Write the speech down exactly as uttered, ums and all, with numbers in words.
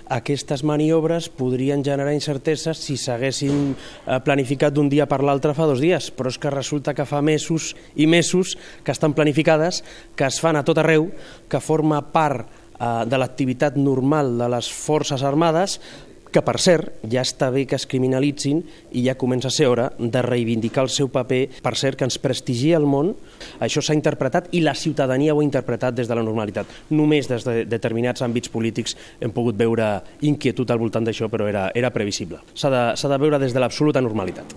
aquestes maniobres podrien generar incerteses si s'haguessin planificat d'un dia per l'altre fa dos dies, però és que resulta que fa mesos i mesos que estan planificades, que es fan a tot arreu, que forma part de l'activitat normal de les Forces Armades, que per cert ja està bé que es criminalitzin i ja comença a ser hora de reivindicar el seu paper, per cert que ens prestigia el món. Això s'ha interpretat i la ciutadania ho ha interpretat des de la normalitat. Només des de determinats àmbits polítics hem pogut veure inquietud al voltant d'això, però era, era previsible. S'ha de, s'ha de veure des de l'absoluta normalitat.